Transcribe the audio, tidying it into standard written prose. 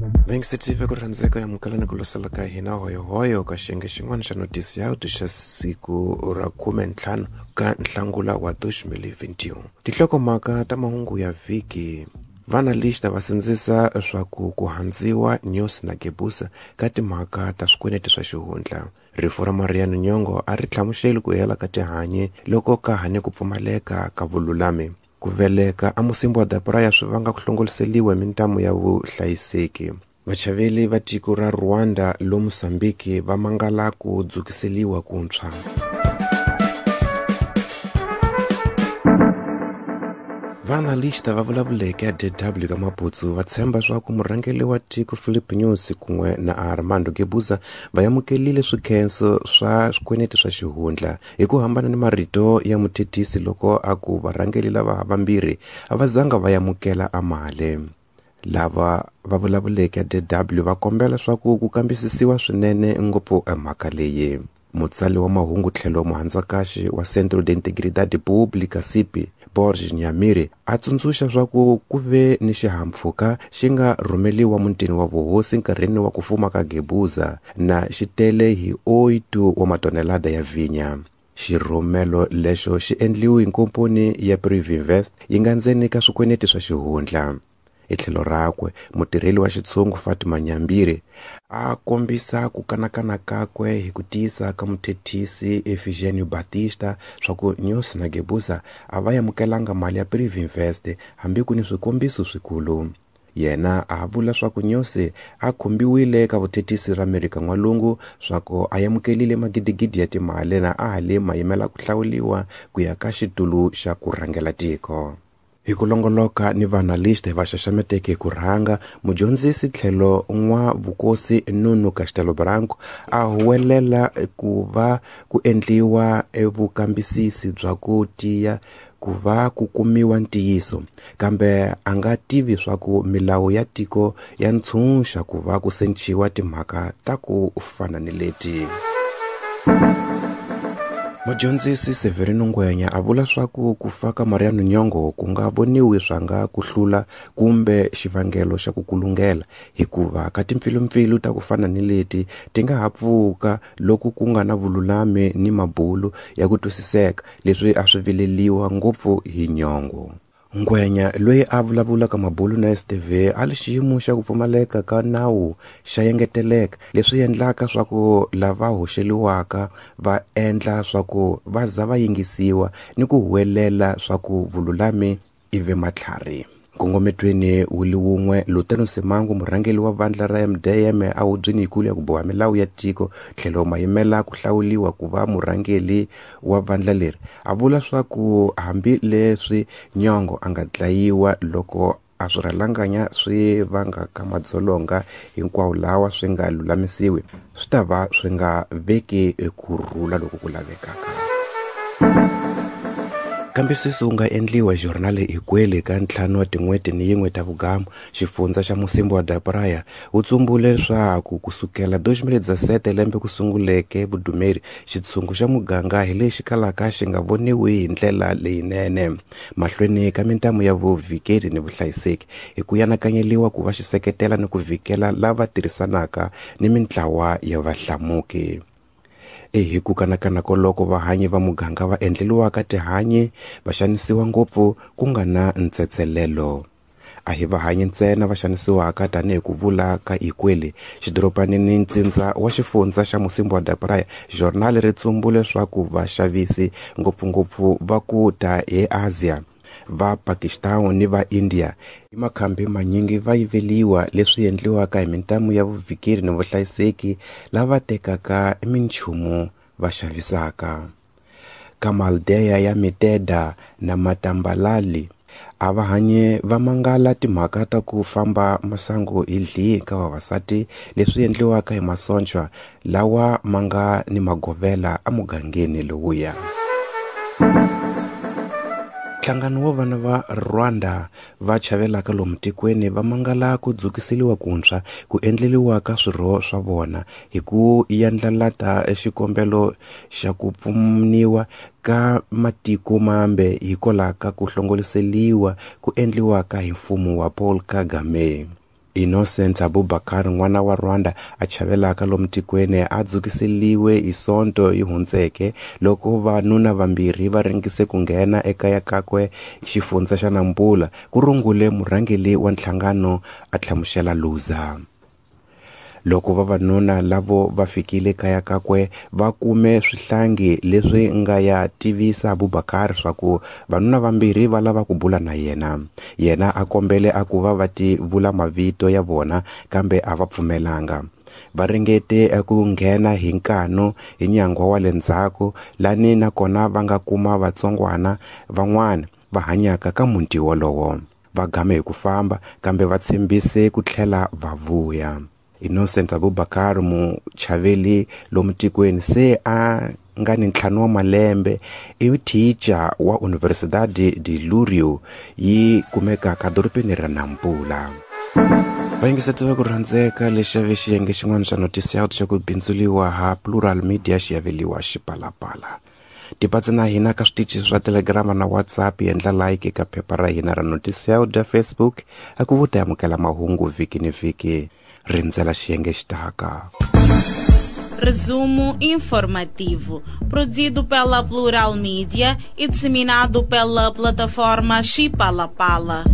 Vengisitive ku rhandzeka yamukelani ku losela ka hina hoyohoyo ka xiyenge xin'wana xa notisi ya auto xa siku ra 15 ka Nhlangula wa 2021. Tinhlokomhaka ta mahungu ya vhiki. Vanalista va sindzisa swa ku handziwa News na Gebusa ka timhaka ta swikweleti swa xihundla. Rifu ra Mariano Nyongo a ri hlamuseli ku hela ka tihanyi loko ka ha ni ku pfumaleka ka vululami. Ku veleka a Musimbi wa Dapraya swi vanga ku hlongoliseliwa hi mintamu ya vuhlayiseki. Vachaveli va tiko ra Rwanda lo Mozambique va mangala ku dzukiseliwa kuntshwa. Vaanalista va vulavuleke ya DW ka Maputsu va tshemba swa ku murhangeri wa tiko Philip Nyusi kun'we na Armando Guebuza va amukelile swikhenso swa swikweleti swa xihundla hi ku hambana ni marito ya muthethisi loko a ku varhangeri lava vambirhi a va zanga va amukela amale. Lava va vulavuleke ya DW va kombela swa ku ku kambisisiwa swinene ngopfu emhaka leyi. Mutsali wa mahungu tlhelo muhandzakaxi wa Centro de Integridade Pública CIPI Borges Nyamiri a tsundzuxa swa ku ku ve ni xihahampfhuka xi nga rhumeliwa mutini wa vuhosi nkarhini wa ku fuma ka Guebuza na xi tele hi 8 wa matonelada ya vhinya. Xirhumelo lexo xi endliwe hi nkomponi ya Privinvest yi nga ndzeni ka swikweleti swa xihundla. Hi tlhelo rakwe mutirheli wa xitshungu Fatima Nyambiri a kombisa ku kanakana kakwe hi ku tiyisa ka muthethisi Efigênio Batista swa ku Nyusi na Guebuza a va amukelanga mali ya Privinvest hambi ku ni swikombiso swikulu. Yena a vula swa ku Nyusi a khumbiwile ka vuthethisi ra Amerika N'walungu swa ku a amukelile magidigidi ya timali na a ha le mayimela ku hlawuliwa ku ya ka xitulu xa ku rhangela tiko. Hi ku longoloka ni vaanalista va xaxameteke hi ku rhanga, mudyondzisi tlhelo n'wa vukosi Nuno Castelo Branco a huwelela ku va ku endliwa evukambisisi bya ku tiya ku va ku kumiwa ntiyiso, kambe a nga tivi swa ku milawu ya tiko ya ntshunxa ku va ku senciwa timhaka ta ku fana ni leti. Mudyondzisi Severino Ngwenya a vula swa ku ku fa ka Mariano Nyongo ku nga voniwi swa nga ku hlula kumbe xivangelo xa ku kulungela, hikuva ka timpfilumpfilu ta ku fana ni leti ti nga ha pfuka loko ku nga na vululami ni mabulu ya ku twisiseka, leswi a swi vileliwa ngopfu hi Nyongo. Ngwenya loyi a vulavulaka mabulu na STV a li xiyimo xa ku pfumaleka ka nawu xa engeteleka, leswi endlaka swa ku lava hoxeliwaka va endla swa ku va za va yingisiwa ni ku huwelela swa ku vululami ivi matlhari. Nkongometweni wu li wun'we, Lutero Simango murhangeri wa vandla ra MDM a hubyeni yikulu ya ku boha milawu ya tiko tlhelo mayimela ku hlawuliwa ku va murhangeri wa vandla leri, a vula swa ku hambi leswi Nyongo a nga dlayiwa loko a swirhalanganya swi vangaka madzolonga hinkwawo lawa swi nga lulamisiwi, swi ta va swi nga veki kurhula loku ku lavekaka. Kambisiso wu nga endliwa journal hikweli ka 5 wa tin'hweti ni yin'we ta vugamu xifundza xa Musimbi wa Dapraya wu tsumbule leswaku kusukela 2017 lembe ku sunguleke vudumeri xitshungu xa muganga hi lexi kalaka xi nga voniwi hi ndlela leyinene mahlweni ka mintamu ya vuvhikeri ni vuhlayiseki hi ku yanakanyeliwa ku va xi seketela ni ku vhikela lava tirhisanaka ni mintlawa ya vahlamuki. Hi ku kanakana koloko vahanyi va muganga va endleliwaka tihanyi va xanisiwa ngopfu ku nga na ntsetselelo. A hi vahanyi ntsena va xanisiwaka tanihi ku vula ka Ikweli xidorobanini ni ntsindza wa xifundza xa Musimbi wa Dapraya. Journal ri tsumbule leswaku vaxavisi ngopfungopfu va ku ta eAsia, va Pakistan ni va India hi makhambi manyingi va yiveliwa, leswi endliwaka hi mintamu ya vuvhikeri ni vuhlayiseki lava tekaka minchumu va xavisaka. Ka Maldeya ya Miteda na Matambalali a va hanye va mangala timhaka ta ku famba masangu hi dlihi ka vavasati, leswi endliwaka hi masocha lawa ma nga ni magovela emugangeni lowuya. Nhlangano wa vana va Rwanda va chavelaka lomu tikweni va mangala ku dzukiseliwa kuntshwa ku endleliwa ka swirho swa vona hi ku yandlalata xikombelo xa ku pfuniwa ka matiko mambe hikwalaho ka ku hlongoliseliwa ku endliwaka hi mfumo wa Paul Kagame. Innocent Abubakar, n'wana wa Rwanda a chavelaka lomu tikweni, a dzukiseliwe hi Sonto yi hundzeke loko vanuna vambirhi va ringise ku nghena ekaya kakwe xifundza xa Nampula, ku rungule murhangeri wa nhlangano a hlamusela Luza. Loko vavanuna lavo va fikile kaya kakwe, va kume swihlangi leswi nga ya tivisa Abubakar swa ku vanuna vambirhi va lava ku bula na yena. Yena a kombele a ku va va ti vula mavito ya vona, kambe a va pfumelanga. Va ringete ku nghena hi nkanu hi nyangwa wa le ndzhaku, lani nakona va nga kuma vatsongwana van'wana va hanyaka ka muti wolowo. Va game hi ku famba, kambe va tshembise ku tlhela va vuya. Innocent Abubakar, muchaveli lomu tikweni, se a nga ni 5 wa malembe, i teacher wa Universidade de Lurio, yi kumekaka dorobeni ra Nampula. Vayingiseti va ku rhandzeka, lexi xave xiyenge xin'wana xa Notisi Out xa ku bindzuliwa ha Plural Media xi yaveliwa Xipalapala. Tipatsi na hina ka switichi swa Telegram na WhatsApp, endla like eka phepha ra hina ra Notisi Out ya Facebook, a ku vuta amukela mahungu vhiki ni vhiki. Rindzela xiyenge xitaka. Resumo informativo, produzido pela Plural Media e disseminado pela plataforma Xipalapala.